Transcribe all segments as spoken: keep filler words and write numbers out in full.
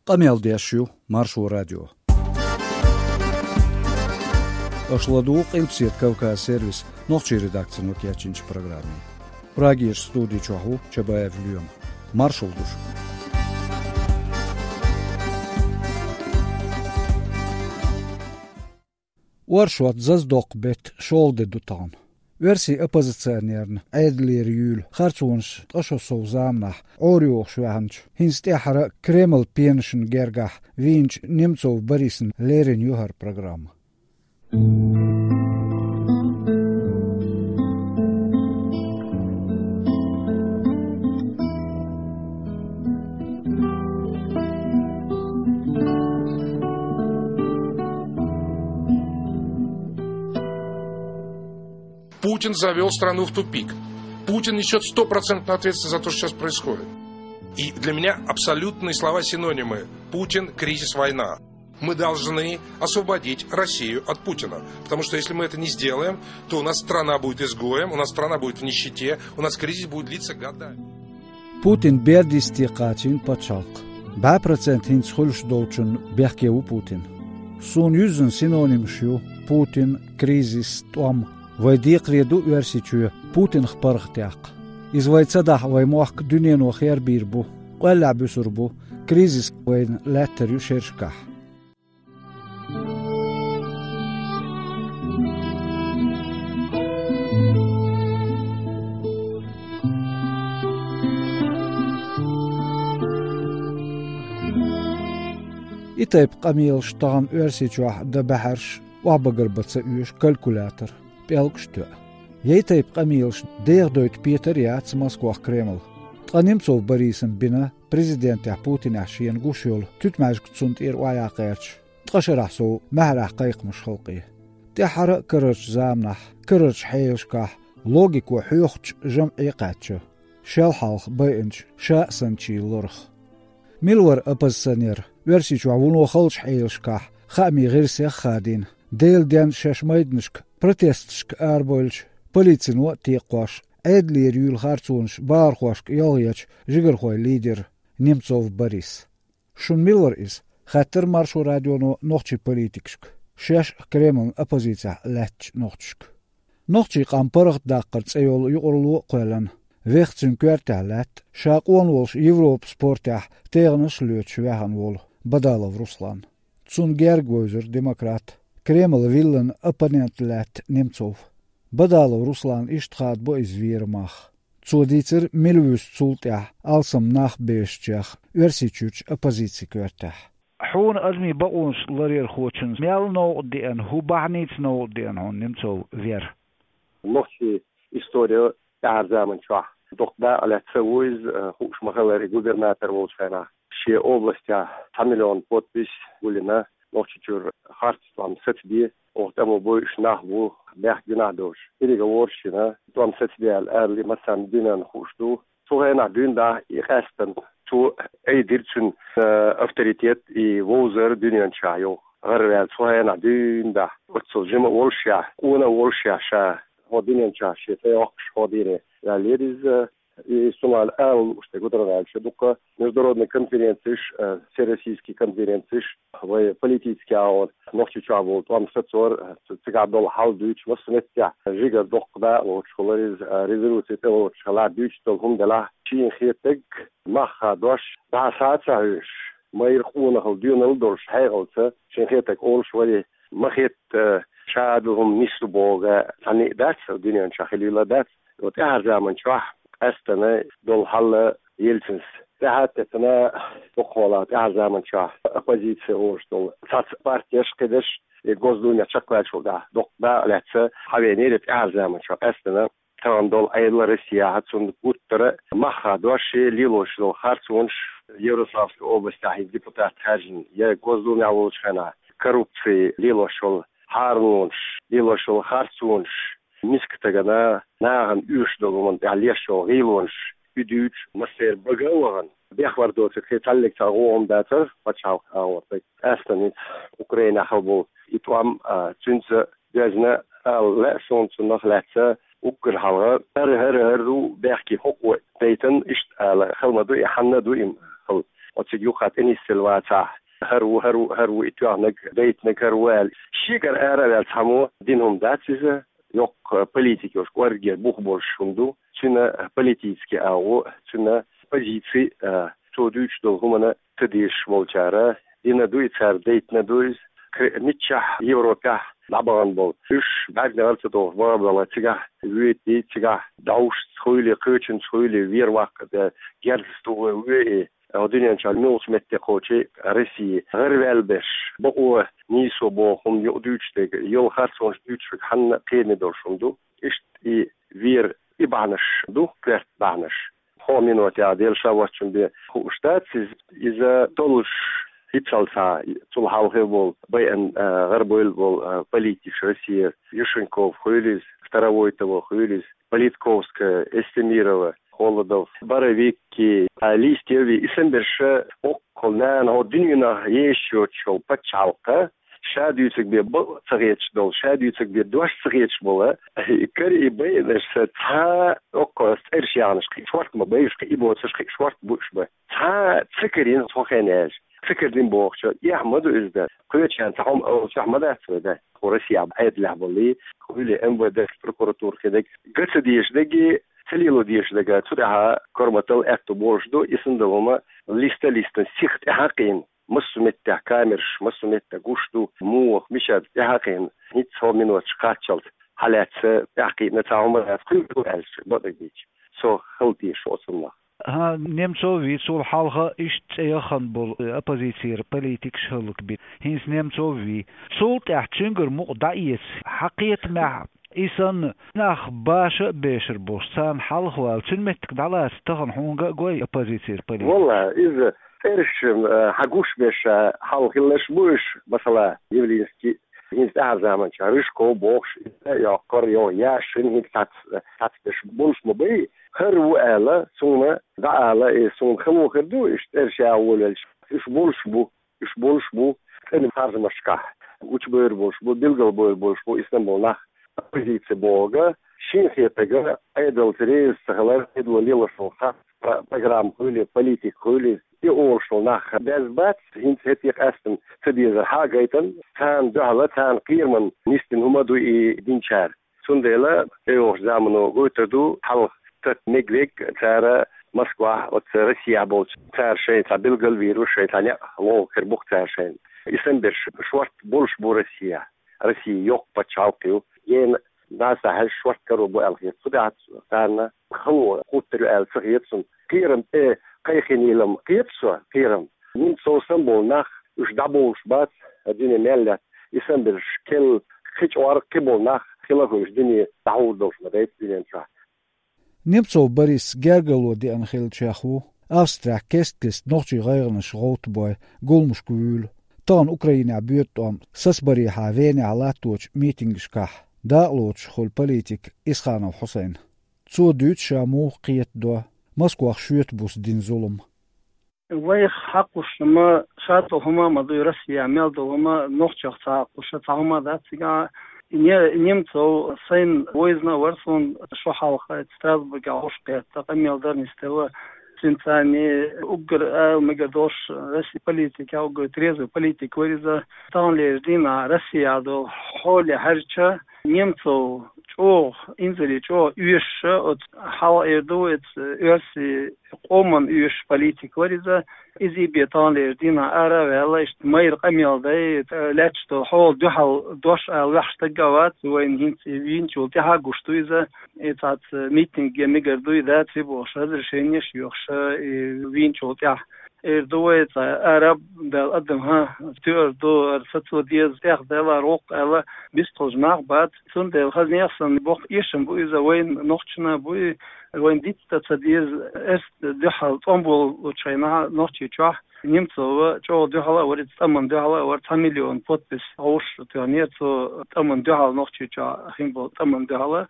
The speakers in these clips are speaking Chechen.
Къамел деш ю Маршо радио. Аша ладугӀу Къилбаседа Кавказ сервисан нохчийн редакцино кечйинчу программе. Прагерчу студи чохь ву Чабаев Лоьма. Маршалла ду шуьга. Оршот, зазадоккху беттан шолгӀа де ду тахана. Оьрсийн оппозиционерна Ӏедалера юьйлу харцонаш ткъа шо сов заманахь Ӏорайохуш ваьхначу, хӀинца тӀаьххьара Кремлан пенашна гергахь вийначу Немцов Борисна лерина ю хӀара программа. Путин завёл страну в тупик. Путин несёт стопроцентную ответственность за то, что сейчас происходит. И для меня абсолютные слова-синонимы: Путин, кризис, война. Мы должны освободить Россию от Путина. Потому что если мы это не сделаем, то у нас страна будет изгоем, у нас страна будет в нищете, у нас кризис будет длиться годами. Путин бердисте кхачийна пачхьалкх. БӀе процент хӀинца хуьлуш долчунна бехке ву Путин. Суна юьззина синонимаш ю Путин, кризис, тӀом. Вай декхаре ду Оьрсийчоь Путинах паргӀатъяккха. Иза вай ца дахь, вай мохк дуьнено хербийр бу, къоьллехь буьсур бу, кризис вайна лаьттар ю шерашкахь. И тайпа къамелаш тахана Оьрсийчохь дан баьхьарш охьабагар бан ца оьшу калькулятор, пӀелгаш тоьа. Я и тайпа къамелаш дехадойту петар а яц Москвахь Кремль. Ткъа Немцов Борисна бина президентехь Путинехь шена гуш йолу туьтмаьжга цунна тӀера охьаяккха гӀерташ, ткъа шарахь сов маьхьарехь кхайкхамаш халкъе. ТӀаьххьара а карарчу заманахь, карарчу хьелашкахь логико хьоьхучу жамӀе кхаьчча, шел хьалха байинчу ша а санначийн лорах. Мила вара оппозиционер, Оьрсийчохь вуно халчу хьелашкахь, хаамийн гӀирсех а хадийна, Делан денна шаьш майданашка протесташка арабевлча, полицино а текхош, Ӏедалера юьйлу харцонаш бахархошка ялхаечу жигархойн лидер Немцов Борис? Шуна мила вара иза? Хаьттира Маршо радионо нохчийн политикашка, шаьш а Кремлан оппозицехь лаьттачу нохчашка. Нохчийн къам паргӀатдаккхар цӀе йолу юкъаралло а кхоьллина, вехха цуьнан коьртехь лаьтта, ша къона волуш Европан спортехь тӀегӀанаш а лоьцуш ваьхна волу Бадалов Руслан. Цунна герга вевзира демократ, Кремлан виллина оппонент лаьтта Немцов. Бадалов Руслана иштта хадабо иза вер мах. Цо дийцира, мила вуьсу цул тӀаьхьа алсам нах бешачех Оьрсийчуьрчу оппозицин коьртехь. Хьуна адамийн бакъонаш ларъярхочуьнца мел новкъа деана, хӀун бахьаница новкъа деана хьуна Немцов вер? Нохчийн история тӀаьхьара заман чохь доккха дакъа лаьцна ву иза, хууш ма-хиллара, и губернатор волчу хенахь. Шен областехь цхьа миллион подпись гулйина, Нохчийчуьра харц тӀом сацабе, оха тӀамо бойуш нах бу, бехк-гуьнахь долуш. Ерриге а ворхӀ шина тӀом сацабе аьлла, ала массарна дуьненна хууш ду. Цу хенахь дуьйна дахь и къаьстина, цо айдира цуьнан, э, авторитет, и вовзар дуьнен чохь йоху. ГӀараваьлла цу хенахь дуьйна дахь, оццул жима а волушехь, къона а волушехь ша, хӀокху дуьнен чохь шен цӀе йоккхуш хӀокху дийне ваьллера иза. И цунах ала лууш дерг, гударваьлча дуккха международный конференцеш, э, всероссийский конференцеш, вай политический агӀор, Нохчийчохь болу тӀом сацор, э, ц-, цигахь долу хьал дуьйцуш, массо а меттехь жигара доккха дакъа лоцуш хилла иза, э, резолюци тӀелоцуш хилла, дуьйцуш долу хӀума делахь, шена хетарг, мах хадош, дӀасса а ца хьоьжуш, майра къонахалла доьналла а долуш, хьекъалца, шена хетарг олуш вара, ма хетта, ша а ду хӀума нисло бохург цхьанна а дац, дуьнен чохь хилийла дац. ТӀаьхьара заман чохь къаьстина долу хьал Ельцинс тӀаьхьа а теттина, дукхахьолахь тӀаьхьара заман чохь оппозици олуш долу цхьацца партеш, кхидерш, и Госдумехь чекхваьллачул тӀаьхьа доккха дакъа лаьцна хьавеанера тӀаьхьара заман чохь къаьстина. Тахана долу Ӏедал Россехь, цунна гуттара а мах хадош, шен лелош долу харцонаш, Ярославской областехь хӀинца депутат хаьржина, я Госдумехь волчу хенахь коррупци лелош йолу хьаралонаш, лелош йолу харцонаш, миска стагана, нахана оьшуш долу хӀуманна тӀехь леш йолу гӀийлонаш, и дуьйцуш, массеран бага а вахана, бехвар доцург, кхин цхьаллиг цхьа гӀо хӀума дацара пачхьалкхан агӀор. Къаьстина хӀинца Украинехь хилла болу и тӀом, а, цуьнца доьзна ала лаьа суна цунах лаьцна. Уггар хьалха хӀара, хӀара, хӀара ду бехке хӀокхо дайтина, иштта ала хала ма ду и, хьанна а ду и хала. оциг юха тӀенисъелла вацахь, хӀара ву, хӀара ву, хӀара ву и тоьхнаг, дайтинарг хӀара ву аьлла. Шегара ара а ваьлла цхьаммо дина хӀума дац иза, йоккха политика йолуш, кӀоргера бух болуш хӀума ду, цуьнан политически агӀо, цуьнан позици а, цо дуьйцуш долу хӀуманна ца дезаш волчара дина ду и, цара дайтина ду иза. Кхе-, миччахь Европехь дӀабахана болу, уьш бӀаьргана гӀар ца дохуш бахана болу, цигахь воьдий, цигахь дӀовшаца хуьлий, кхечуьнца хуьлий, вер ваккха, герзаца тухур ву и, хӀо дуьнен чохь муьлхачу метте кхочий Россия гӀараваьлла берш, бакъо нийсо боху хӀума юкъа дуьйцуш дерг, йолу харцонаш дуьйцуш верг хьанна кхераме долуш хӀума ду. Иштта и вер и бахьанаш ду, коьрта бахьанаш. ХӀокху минотехь, Дела ша воцчунна бен, хууш дац иза, иза долуш, хӀинццалц а, цул хьалха а болу, байъина, а, гӀарабевлла болу, а, политикаш Россия, Юшенков хуьлийла иза, Старовойтова хуьлийла иза, Политковская, Эстемирова, Холодов, Боровицкий, а, Листьев, и санберш, оккхул нана хӀо дуьненахь езаш йоцуш йолу пачхьалкха, ша дуьйцург бен бакъ ца хеташ долу, ша дуьйцург бен дош ца хеташ болу, карий, и байинарш, цхьа оккхул цӀераш яханаш, кхин шорта ма бу уьш, кхин и боцурш, кхин шорта бу уьш бан. Цхьа ца карийна цхьа хенахь аьлча, ца карийна бохучо, эхь ма ду иза дан. Кхечарна цхьа хӀума олучохь ма дац вай дан. Кху Россия Ӏедалехь болу, хуьлий МВД, прокуратура хинарг, ган ца дезаш дерг, ца лело дезаш дерг, цу тӀехь корматал аьтту болуш ду, и санна долу хӀума листа-листана сиха тӀаьхьа а кхиъна. Массо а меттехь камераш, массо а меттехь гуш ду, муха, мичара тӀаьхьа а кхиъна, хӀинца хӀо миноташ кхаччалц хьалаьцна, тӀаьхьа кхиъна цхьа хӀума дац, кхуьур ду аьлча, бакъдерг дийцича. Со хала теша оцунах. ХӀан, Немцов вий, цул хьалха иштта цӀе яхана болу оппозицера политикаш хӀаллакбина. ХӀинца Немцов вий. Цул тӀаьхьа цуьнгара мукъа дӀаэца, хьан кхетамехь, и санна, нах баша а бешар болуш, царна хьалха вала, цуьнан меттиг дӀалаца тахана хьуна ган а гой оппозицера политик? Валла, иза цӀераш, э, хьан гуш беш, э, хьалха хилларш бу уьш, масала, Явлинский, хӀинца тӀаьхьара заманчохь Рыжков бохуш, иза йоккхура, йо, Яшин, хӀинца цхьацца, цхьацца берш болуш ма бай, хӀара ву аьлла, суна дӀаала, и суна хало хир ду, уьш цӀераш яха волавелча, уьш болуш бу. Уьш болуш бу цӀена харжамашкахь, гучубевр болуш бу, билгалбевр болуш бу, и санна болу нах, оппозици бохург, шен хетарг, Ӏедалца реза ца хилар, Ӏедало лелош волу харц, про-, программа хуьлий, политика хуьлий, и олуш волу нах беза бац, хӀинца хӀетте къаьстина ца дезар хьагайтина, царна дуьхьал, царна кхерамна нисдина хӀума ду и динчара. Цундела тӀейогӀучу замано гойтур ду, хьалха тата мегвег цара Москвахь, оцу Россияхь болчу, цара шайн цхьа билгал а вийр ву, шайн цхьа некъ лоху хир бу-кх цара шайна. И санна берш шорта болуш бу Россияхь. Россия йоккха пачхьалкх ю. Гена дӀаса хьаьжча шорта каро бу аьлла хета. Цу тӀехь царна хало хӀуттур ю аьлла ца хета суна. Кхерам тӀе кхайкхинийла-м кхета со, кхерам. Немцов санна болу нах, уьш дӀабовлуш бац, дуьне мел лаьтта. И санна берш кхел кхин чӀогӀа кхин болу нах хила хуьлуш дуьне дӀахьур долуш ма дайта дуьнен чохь. Немцов Борис гергарло деана хиллачех ву. Австрехь кест-кеста нохчийн гӀайгӀанаш гӀовттабой, гуламашка вуьйлу. Тахана Украинехь боьду тӀом сацабарехьа Венехь латточу митингашкахь дакъалоцуш хуьлу политик Исханов Хьусайн. Цо дуьйцу ша муха кхетадо Москвахь шоьтан буса дина зулам. Вайх хьакхуш ма ша долу хӀума а ма дуй, Россия мел долу хӀума, нохчех ца хьакхуш цхьа хӀума дац цигахь. Не-, Немцов сайна вайзина а вара суна шо хьалха, Страсбургехь гӀуш кхетта, къамел дар нисделла. Цуьнан царна уггар ала мегар долуш, Россия политика, уггар трезвый политик вара иза. Таханлерчу дийнахь Россия долу хьоле хьаьжча, Немцов чӀогӀа, инзаре чӀогӀа оьшуш, оцу хьалха эр ду, оцу оьрсийн къоман оьшуш политик вара иза. Иза бен таханлерчу дийнахь ара а ваьлла, иштта майра къамел дай, лаьтташ долу хьола дуьхьал дош ала ваьхьаш стаг а вац, вайна хӀинца и вийначул тӀаьхьа а гуш ду иза. И цхьацца митинге мегар дуй, дац и бохуш, разрешенеш а йохуш, и вийначул тӀаьхьа. Эр ду вай, цхьа араб баьлла адам, хӀа, тоьар ду, ара сацо деза, тӀех даьлла, роккха аьлла, бистхуьлуш нах бац. Цундела хаза нехан санна боккха эшам бу иза, вайн нохчана бу и, вайн дитта ца деза, эрс дуьхьал тӀом болучу хенахь Нохчийчохь Немцова чӀогӀа дуьхьал а вара, иза тӀаман дуьхьал а вара, цхьа миллион подпись гӀовш тоьхнера цо тӀаман дуьхьал, Нохчийчохь хин болу тӀаман дуьхьал.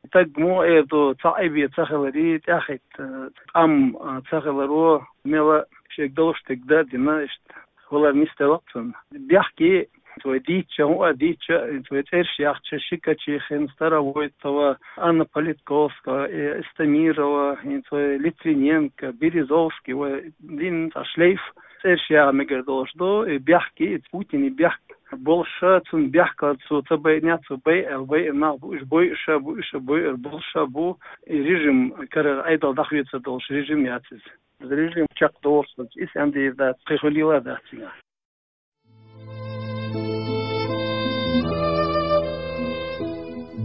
Стаг муха эр ду, цхьа Ӏибе ца хиларе, тӀаьхьахӀитта тӀам ца хиларо, мела шега долуш дерг дан а дина, иштта хилар нисделла-кх цунна. Бехке Цо вай дийцча, хӀун а дийцча, цо вай цӀераш яхача, Щекочихин, Старовойтова, Анна Политковская, э, Истамирова, цо вай Литвиненко, Березовский, вай дин цхьа шлейф цӀераш яха мегар долаш ду, и бехк, и Путина бехк болаш, цун бехк, цо ца байнех, цо байъал, байъа нах бу, уж бойъуш, бу уж бойъар болаш бу, и режим карара Ӏедал дӀахоцар долаш режим яц из. Из режим чакхдоалаш, из аьнна дийр дац, кхы хьулийла дац цигахь.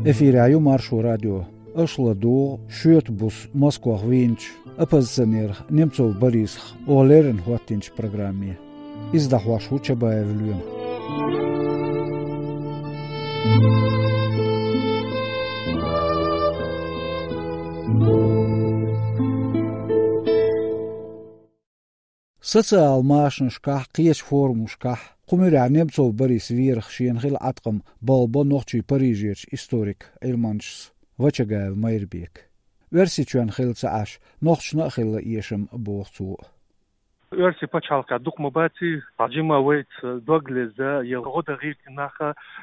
Эфирехь ю Маршо радио. Аша ладугӀу шоьтан буса Москвахь вийначу оппозиционерах Немцов Борисах оха леррина хӀоттийначу программе. Иза дӀахьош ву Чабаев Лоьма. Социал машанашкахь, кхечу форумашкахь кху муьрехь Немцов Борис верах шена хилла Ӏаткъам балбо нохчийн Парижерчу историк Ӏилманчас Вачагаев Майрбека. Оьрсийчоьнна хилла ца Ӏаш, нохчашна а хилла эшам, боху цо. Оьрсийн пачхьалкхехь дукха ма баций, хьан жима вайца дог лезна я гӀо дан гӀиртина нах,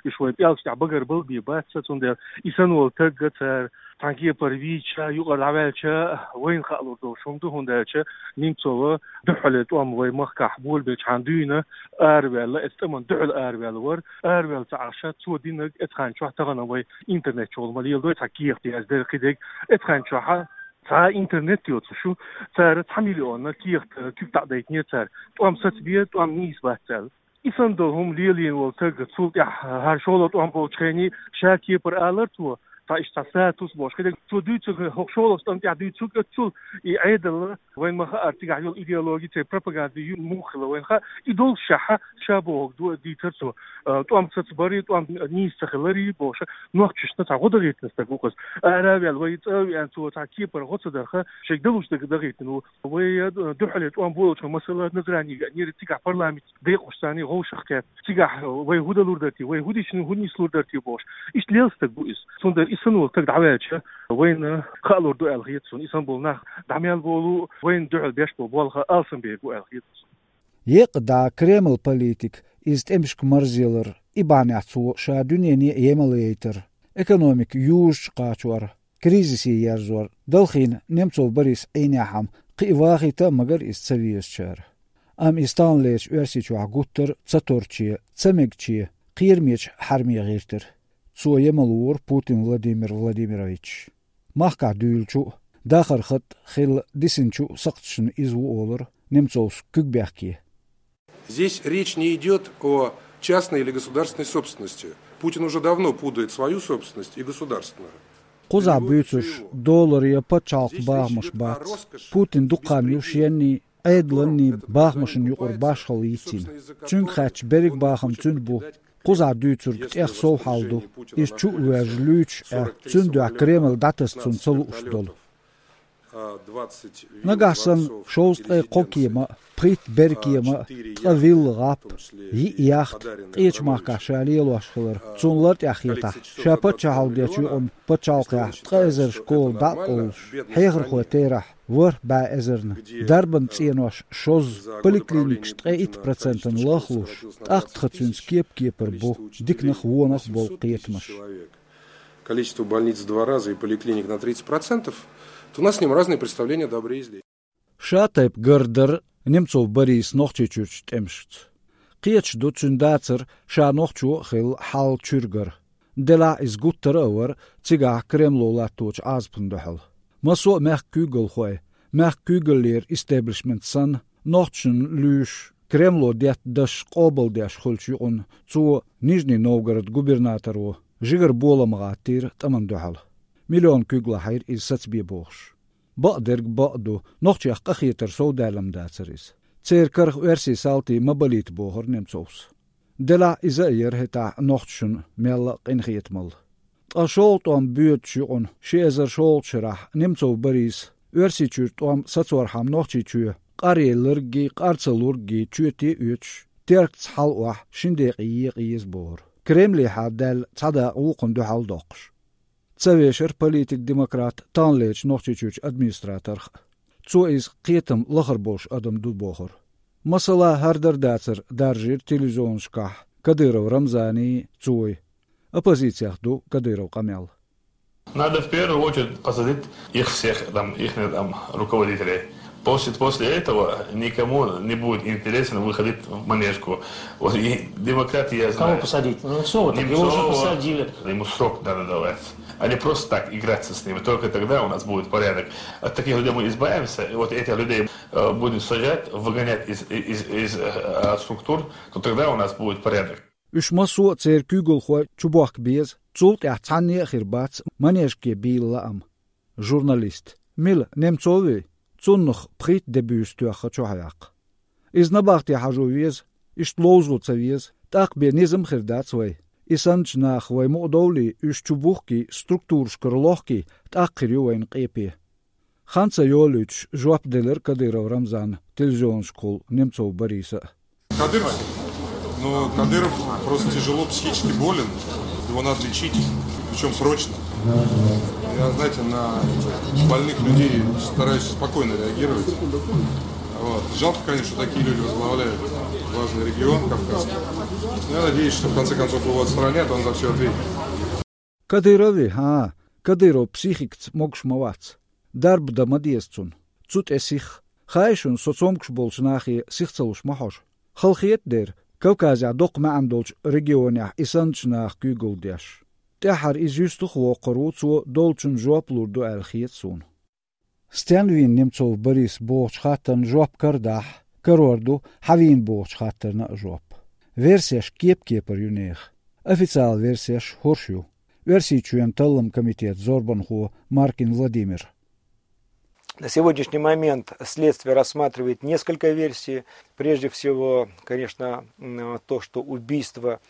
уьш вайн пӀелгаш тӀехь багарбала бен бац, цундела и санна волу таг цара цхьана кепара вийча, юкъара дӀаваьлча, вайна хаалур долуш хӀума ду, хӀунда аьлча Немцова дуьххьале тӀом вайн махкахь болабелчхьана дуьйна араваьлла, эцу тӀамна дуьхьала араваьлла вара, араваьлла ца Ӏаш, цо динарг эцу хенчохь тахана вай интернет чухула ма леладой, цхьа кехат яздарх кхидерг, эцу хенчохь цхьа интернет йоцуш ю, цара цхьа миллион кехат куьг таӀдайтинера цара, тӀом сацабе, тӀом нийса бац аьлла. И санна долу хӀума лелийна волу таг, цул тӀаьхьа хӀара шолгӀа тӀом болчу хене ша кепара алара цо, цхьа иштта цхьа статус болуш хиларг, цо дуьйцург, хӀокху шолгӀачу тӀамна тӀехь дуьйцург а цул, и Ӏедалан, вайн ма хаара цигахь йолу идеологи, церан пропаганди ю муха хилла вайна хаьа, и долуш шаьхьа ша бохург ду дийцара цо, а, тӀом сацабари, тӀом нийса ца хилари бохуш, нохчашна цхьа гӀо дан гӀиртина стаг ву-кх иза. Ара а ваьлла, вай цӀа а веана, цо цхьа кепара гӀо ца дарх, шайга далуш дерг дан гӀиртина ву. Вай, а, дуьххьале тӀом болучу, масала, Назрани веанера, цигахь парламент декъашца вовшах кхетта. Цигахь вай хӀун далур дара те, вай хӀун дича, хӀун нислур дара те бохуш. Иштта лела стаг ву иза. Цундела и санна волу таг дӀаваьлча, вайна хаалур ду аьлла хета суна. И санна болу нах дӀа мел болу, вайна дуьхьал беш болу болх алсамберг ву аьлла хета суна. Еккъа дӀа Кремлан политик иза тӀемашка марзъялар, и бахьанехь цо ша дуьнене а емал яйтар, экономика южучу кхачор, кризисе ерзор, далхийна Немцов Борис Ӏийнехьама, кхин а вахийта а магара иза ца везачара. Амма иза таханлерчу Оьрсийчохь гуттар а ца торче, ца мегаче, кхерамечу хьарме гӀиртира. Цо емал вора Путин Владимир Владимирович. Махкахь дуьйлучу а, дахаран хатӀ хилла дисинчу а сакхташна иза ву олура Немцовс куьг бехке. Здесь речь не идёт о частной или государственной собственности. Путин уже давно путает свою собственность и государственную. Кхузахь буьйцурш долара я пачхьалкхан бахамаш бац. Путин дукха хан ю шенний, Ӏедаланний бахамашна юкъара башхалла йицйина. Цуьнга хаьттича, берриг бахам цуьнан бу. Кхузахь дуьйцург тӀех сов хьал ду. Иза чу а воьжна луьйчу а, цуьнан дуьхьа Кремль дӀатаса цунна ца лууш долу. Нагахь санна шовзткъе кхо кема а, пхийтта бер кема а, ткъа вилла гӀап, йиъ яхта, къечу махкахь ша лелош хилар цунна лартӀехь хетахь, ша паччахьалла дечу юкъанна пачхьалкхехь ткъа эзар школа дӀа а къовлуш, хьехархойн терахь ворхӀ бӀе эзарна, дарбан цӀенош шозза, поликлиникаш ткъе итт процентана лахлуш, тӀаккха тхан цуьнца кеп-кепара бу диканах, вонах болу кхетамаш. Количество больниц в два раза и поликлиник на тридцать процентов, то у нас с ним разные представления о добре и зле. Ша тайпа гардар Немцов Борис Нохчийчуьрчу тӀемашца. Кхеташ ду цуьнан дацар ша нохчо а хилла хьал чуьра гар. Делахь иза гуттара а вара цигахь Кремло латточу Ӏазапна дуьхьал. Массо а мехкан куьйгалхой, мехкан куьйгаллера истеблишмент санна, нохчашна луьйш, Кремло детта дашаш къобалдеш хуьлучу юкъанна цо Нижний Новгород губернаторо жигара болам гӀаттийра тӀамна дуьхьал. Миллион куьг лахьийра иза сацабе бохуш. Бакъдерг бакъ ду, нохчех къахетар совдаьлла-м дацара иза. Церан карах оьрсийн салтий ма балийта бохура Немцовс. Делахь иза а яра хӀетахь нохчашна мелла а къинхетамалла. Ткъа шолгӀа тӀом боьдучу юкъанна ши эзар шолгӀачу шарахь Немцов Бориса Оьрсийчуьра тӀом сацорхьама Нохчийчоь къаръелларггий, къар ца лурггий чоьте а оьцуш, Теркаца хьала охьа шина декъе екъа еза бохура. Кремлехьа даьлла цхьа дакъа вукхунна дуьхьал доккхуш. Ца вешара политик-демократ таханлерчу Нохчийчуьрчу администраторх а. Цо иза кхетам лахара болуш адам ду бохура. Масала, хӀара дар-дацар даржийра телевизионашкахь, Кадыров Рамзани, цой. Оппозицех ду Кадыров къамел. Надо в первую очередь посадить их всех, там, их там руководителей. После, после этого никому не будет интересно выходить в Манежку. Вот и демократия, я Кого знаю, посадить? Ну, Немцова, так его уже Немцова, посадили. Ему срок надо давать. А не просто так играться с ними. Только тогда у нас будет порядок. От таких людей мы избавимся. И вот этих людей э, будем сажать, выгонять из, из, из э, структур, то тогда у нас будет порядок. Уьш массо а церан куьйгалхой чубохка беза, цул тӀаьхьа цхьанне а хир бац Манежке бийла лаам. Журналист. Мила, Немцов вий? Цуннах пхийтта де буьйса тоьхха чухьаваьккха. Иза набахте хьажо веза, иштта ловзо ца веза, тӀаккха бен низам хир дац вай. И саннача наха вай мукъадовлий, уьш чубухкий, структурашкара лохкий, тӀаккха хир ю вайна къепе. Хан ца йолуьйтуш жоп делира Кадыров Рамзана телевизионашкахула Немцов Бориса а. Кадыров? Ну, Кадыров просто тяжело психически болен. Его надо лечить, причем срочно. Я, знаете, на больных людей стараюсь спокойно реагировать. Вот. Жалко, конечно, что такие люди возглавляют важный регион кавказский. Но я надеюсь, что в конце концов его отстранят, он за все ответит. Кадыров вий? ХӀаа, Кадыров психикаца могуш ма вац. Дарба дан ма деза цунна. Цу тӀе сиха. Хаий шуна, со цомгуш болчу нахе сиха ца луш ма хьожу. Хала хета дера, Кавказехь доккха маьӀна долчу регионехь и санначу наха куьйгалла деш. ТӀаьххьара иза юьстах а воккхур ву, цо долчунна жоп лур ду аьлла хета суна. Стенна вийна Немцов Борис бохучу хаттарна жоп карадахь, карор ду хьан вийна бохучу хаттарна а жоп. Версеш кеп-кепара ю нехан. Официал версеш хӀорш ю. Оьрсийчоьнан таллам комитетан зорбанхо Маркин Владимир. На сегодняшний момент следствие рассматривает несколько версий. Прежде всего, конечно, м, то, что убийство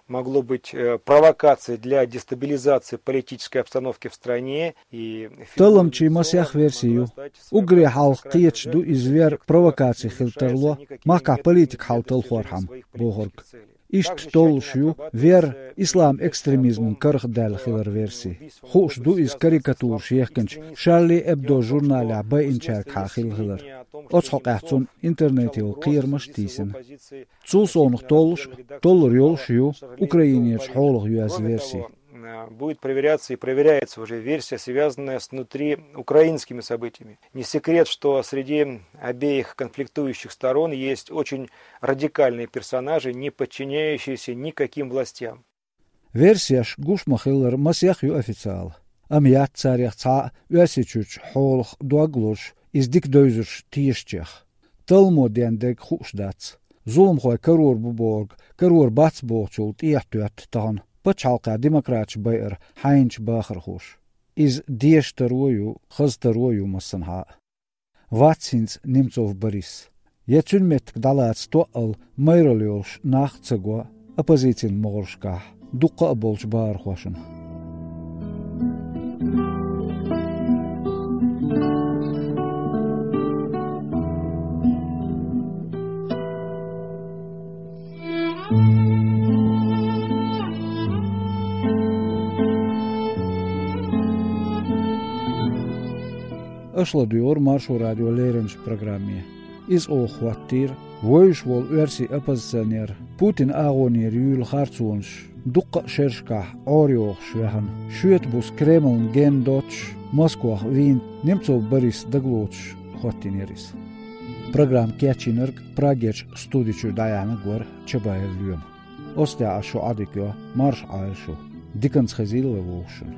могло быть э, провокацией для дестабилизации политической обстановки в стране. И Талламчийн масех верси ю. Уггаре хьалха кхеташ ду иза вер провокаци хила тарло, махкахь политика хьал талхорхьама, бохург. Иштта толлуш ю вер ислам экстремизман карах даьлла хилар верси. Хууш ду иза карикатураш ехкинчу Шарли Эбдо журналехь байинчаьргахьа хилла хилар. Оцу хьокъехь цунна интернете йолу кхерамаш а тийсина. Цул совнаха толлуш а, толлур йолуш а ю Украинерчу хьолах йоьзна верси. Будет проверяться и проверяется уже версия, связанная с внутриукраинскими событиями. Не секрет, что среди обеих конфликтующих сторон есть очень радикальные персонажи, не подчиняющиеся никаким властям. Версеш гуш ма-хиллара масех ю официала, амма яц царех цхьа а Оьрсийчуьрчу хьолах дог лозуш, иза дика девзарш тешачех. Талламо ден дерг хууш дац. Зуламхой карор бу бохург, карор бац бохучул тӀехьатоьтту тахана пачхьалкхехь демократаш байар хьайначу бахархоша. Иза деша таро а ю, хаза таро а ю массанхьа а. Вац хӀинца Немцов Борис. Я цуьнан меттиг дӀалаца тоъал майралла йолуш нах а ца го оппозицин могӀаршкахь дуккха а болчу бахархошна. Аша ладуьйгӀура Маршо радион леринчу программе. Иза оха хӀоттийра вевзаш волу оьрсийн оппозиционер, Путинан агӀонера юьйлу харцонаш дуккха а шерашкахь Ӏорайохуш ваьхна, шоьтан буса Кремлна гена доццуш Москвахь вийна Немцов Борис дагалоцуш хӀоттийнера иза. Программа кечйинарг Прагерчу студи чуьра дӀаяьхьнарг вара Чабаев Лоьма. Оцу тӀехь ас шу Ӏодика йо, марша Ӏойла шу. Диканца хезийла вай вовшашна.